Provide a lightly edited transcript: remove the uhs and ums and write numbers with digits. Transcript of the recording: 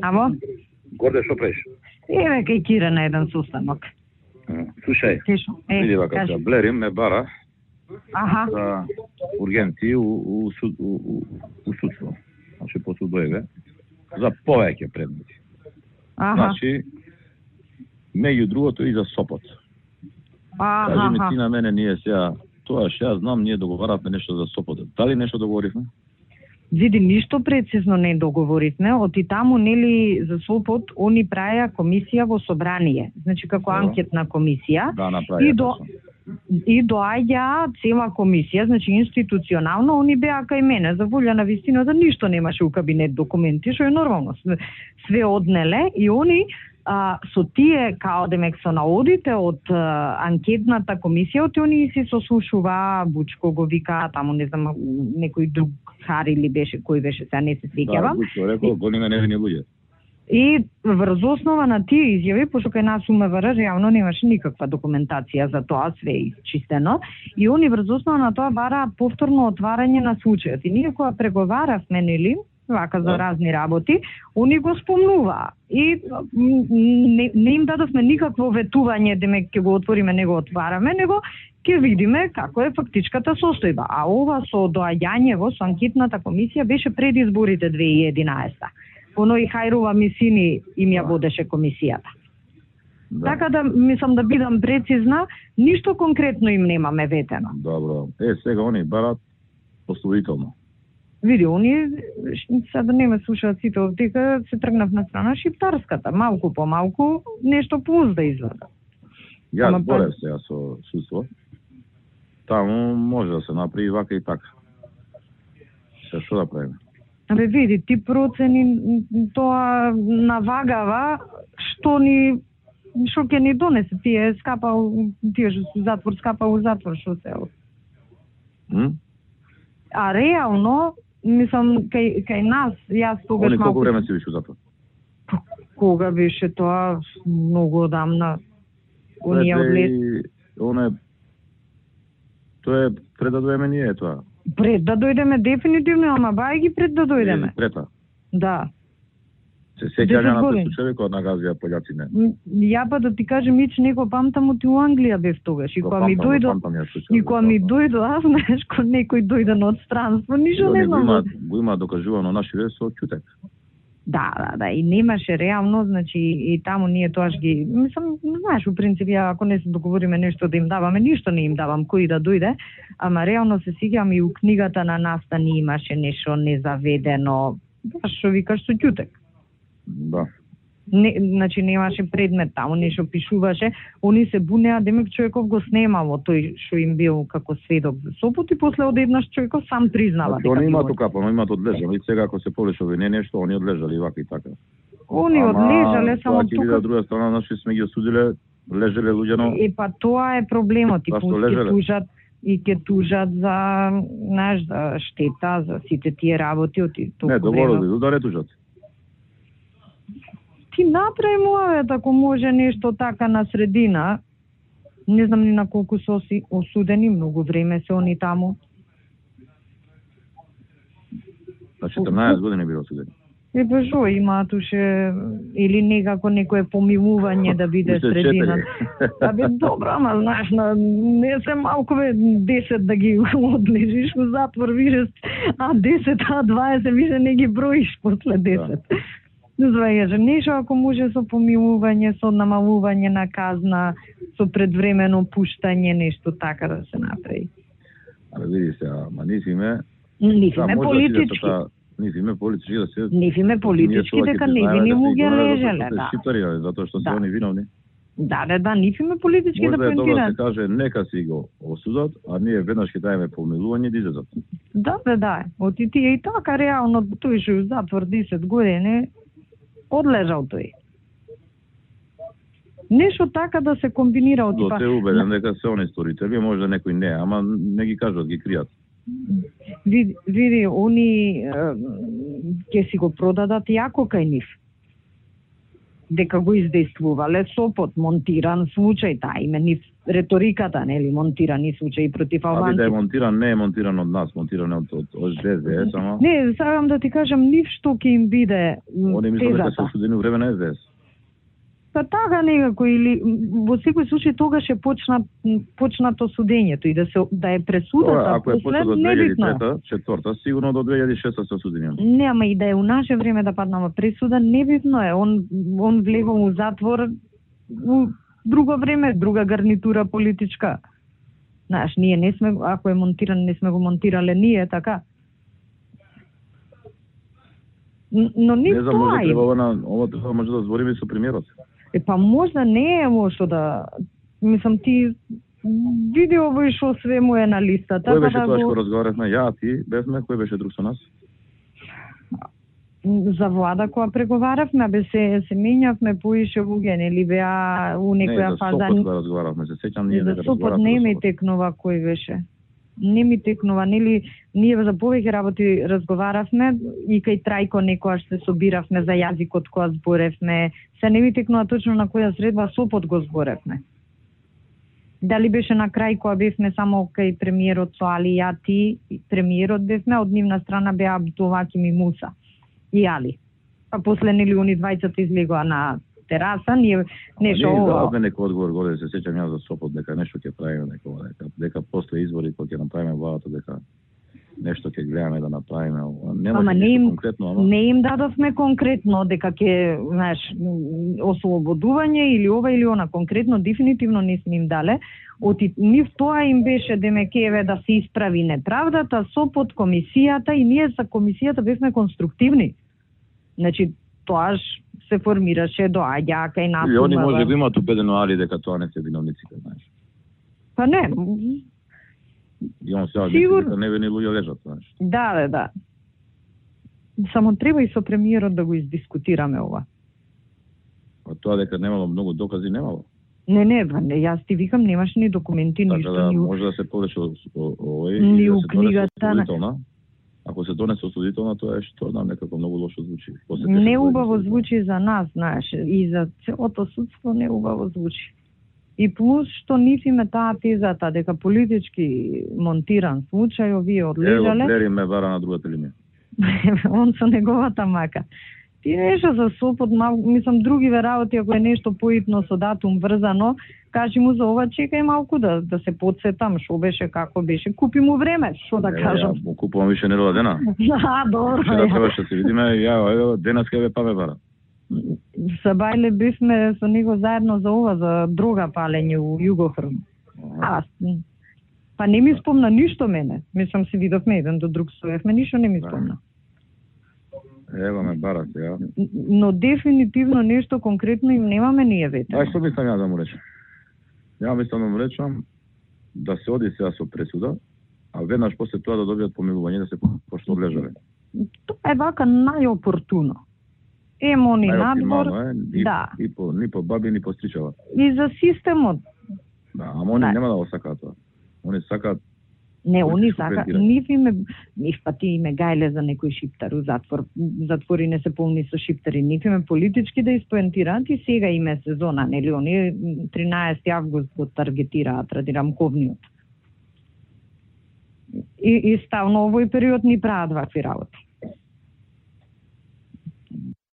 Амо? Горде, што правиш? Еве кај Кира на еден состанок. Слушај, види вака се, Блери ме бара за ургенти у судство. Значи, по судоеве, за повеќе предмети. Значи, меѓу другото и за Сопот. Кажи ми ти на мене, ние сега, тоа што ја знам, ние договаравме нешто за Сопот. Дали нешто договоривме? Види, ништо прецизно не договоривме, оти таму, нели, за Сопот, они праја комисија во собрание, значи како анкетна комисија, и доаѓа цела комисија, значи институционално, они беа кај мене, за волја на вистината, ништо немаше у кабинет документи, што е нормално, све однеле, и они со тие, као демек со наодите од анкетната комисија, оти они си сослушува, Бучко го вика, таму не знам, некој друг Хари ли беше, кој беше, сега не се сеќавам. Бучко рекол, голиме невини луѓе. И врз основа на тие изјави, пошто кај нас МВР реално немаше никаква документација за тоа, све е исчистено, и они врз основа на тоа бараат повторно отварање на случајот. И ние кога преговаравме, нели, вака за разни работи, они го спомнуваа. И не им дадовме никакво ветување, демек ќе го отвориме, не го отвараме, него ќе видиме како е фактичката состојба. А ова со доаѓањево со анкетната комисија беше пред изборите 2011. Оно и Хајрова Мисини им ја водеше комисијата. Така да, мислам да бидам прецизна, ништо конкретно им немаме ветено. Добро. Сега они барат пословително. Види, они, сега не ме слушаат сите овдека, се тргнав на страна шиптарската. Малку по малку, нешто плюс да изгледа. Јас зборев сега со судство. Таму може да се направи вака и така. Се што да правиме? Абе, види, ти процени тоа навагава што ќе ни донесе, тие скапал, тие што се затвор, скапал у затвор, што се А реално, мислам, кај нас, јас тогаш малку... Колку време си биш у затвор? Кога беше тоа? Многу одамна. Оние одлез... Тоа е пред да дојдеме ние тоа. Пред да дојдеме дефинитивно, ама бај ги пред да дојдеме. Прета? Да. Се сеќаваме на тој случај кога нагазија пољаци не. Ја па да ти кажем, ич него памтам оти у Англија бев тогаш. И кога ми дојдо, аз знаеш, кога некој дојде од странство, ништо не знам. Го има докажувано наши вест со ќутек. Да, и немаше реално, значи и таму ние тоаш ги, мислам, знаеш, у принцип ја ако не се договориме нешто да им даваме, ништо не им давам кој да дојде, ама реално се сеќавам и у книгата на Настани имаше нешто незаведено, што викаш со ќутек. Да. Значи немаше предмет таму, нешто пишуваше, они се бунеа, демек човеков го снемало тој што им бил како сведок за Сопот и после одеднаш човеков сам признава. Значи, они имаат окапано, имаат одлежали, сега ако се полешови не нешто, они одлежали вака и така. Они одлежале, само тука... Ама, друга страна, наши сме ги осудиле, лежеле луѓено... Па тоа е проблемот, и ќе тужат за, знаеш, за штета, за сите тие работи од толку време. Не, договорили, да не тужат. Ти направи муавет, ако може нешто така на средина, не знам ни на колку се осудени, многу време се они таму. На 14 години било осудени. Па шо имаат уше, или некако некое помилување да биде средина. Абе, добро, ама знаеш, не се малку 10 да ги одлежиш у затвор, више, а 10, а 20, више не ги броиш после 10. Да. Звајаш, нешто ако може со помилување, со намалување на казна, со предвремено пуштање, нешто така да се направи. Але види се, ама нифиме политички. Нифиме политички да се... Нифиме политички дека невини луѓе лежеле, да. Шиптари, затоа што се они виновни. Да, нифиме политички да поентираат. Може да се каже, нека си го осудат, а ние веднаш ќе даеме помилување да излезат. Да. Оти тие и така реално тој што у затвор 10 години одлежал тој. Нешто така да се комбинира од типа. Се убеден дека се они сторители, може некој не, ама не ги кажат, ги кријат. Види, они ќе си го продадат јако кај нив. дека го издействувале Сопот, монтиран случај, таа име ни реториката, нели, монтирани случаи против албанци. Да е монтиран, не е монтиран од нас, монтиран од СДС, само. Не, сакам да ти кажам, ништо ќе им биде тезата. Они мислат дека се осудени во време на СДС. Па така некако, или во секој случај тогаш е почнато судењето и да е пресудата. Ако е почнато од 2003-2004, сигурно до 2006 се осудени. Не, ама и да е у наше време да паднама пресуда, небитно е. Он влегол у затвор у друго време, друга гарнитура политичка. Знаеш, ние не сме, ако е монтиран, не сме го монтирале ние, така. Но не знам, може треба ова може да збориме со премиерот. Па можда не е лошо да... Мислам, ти види овој шо све му е на листата. Кој беше тоа што разговаравме? Ја, ти, бевме, кој беше друг со нас? За влада која преговаравме, се менјавме поише луѓе, нели беа у некоја фаза... Не, за Сопот разговаравме, се сеќам ние дека разговаравме. За Сопот не ми текнува кој беше. Не ми текнува, нели, ние за повеќе работи разговаравме и кај Трајко некојаш се собиравме за јазикот која зборевме. Се не ми текнува точно на која средба Сопот го зборевме. Дали беше на крај која бевме само кај премиерот со Али и ја ти, премиерот бевме, од нивна страна беа Абдулваким и Муса и Али. Па после нели они двајцата излегоа на тераса, ние нешто ова. Даваме некој одговор горе, се сеќам јас за Сопот дека нешто ќе правиме дека после избори кога ќе направиме владата дека нешто ќе гледаме да направиме. Ама не им дадовме конкретно дека ќе, знаеш, ослободување или ова или она, конкретно дефинитивно не сме им дале. Нив тоа им беше демекеве да се исправи неправдата, Сопот, комисијата и ние за комисијата бевме конструктивни. Значи, тоаш се формираше доаѓа кај нас. И они може да имаат убедено Али дека тоа не се виновниците, знаеш. Па не. И он сега дека невини луѓе лежат, знаеш. Да. Само треба и со премиерот да го издискутираме ова. А тоа дека немало многу докази, немало. Не, јас ти викам, немаш ни документи, така, ништо. Да, може да се повеќе овој ни у книгата. Ако се донесе осудителна, тоа е што знам, некако многу лошо звучи. Не убаво звучи за нас, знаеш, и за целото судство не убаво звучи. И плюс што нив име таа тезата дека политички монтиран случај, овие одлежале. Ево, Блери ме бара на другата линија. Он со неговата мака. Ти нешто за Сопот, мислам, другиве работи, ако е нешто поитно со датум врзано, кажи му за ова, чекај малку да се подсетам, шо беше, како беше. Купи му време, шо да кажам. Ја му купувам више нерва дена. Добро. Да требаше да се видиме, ја денес ке па ме бара. Са Бајле бивме со него заедно за ова, за дрога палење у Југохрм. Па не ми спомна ништо мене. Мислам, се видовме еден до друг, стоевме, ништо не ми спомна. Ева ме бара сега. Но дефинитивно нешто конкретно им немаме ние вете. Што мислам ја да му речам? Ја мислам да му речам да се оди сега со пресуда, а веднаш после тоа да добијат помилување да се пошто одлежале. Тоа е вака најопортуно. Они надвор, да. Ни по баби, ни по стричава. И за системот. Да, ама они нема да го сакаат тоа. Они сакаат. Не, они сакаат. Нив пати име гајле за некој шиптар у затвор. Затвори не се полни со шиптари. Нив име политички да испоентираат и сега име сезона, нели? Они 13 август го таргетираат ради рамковниот. И ставно овој период ни прават вакви работи.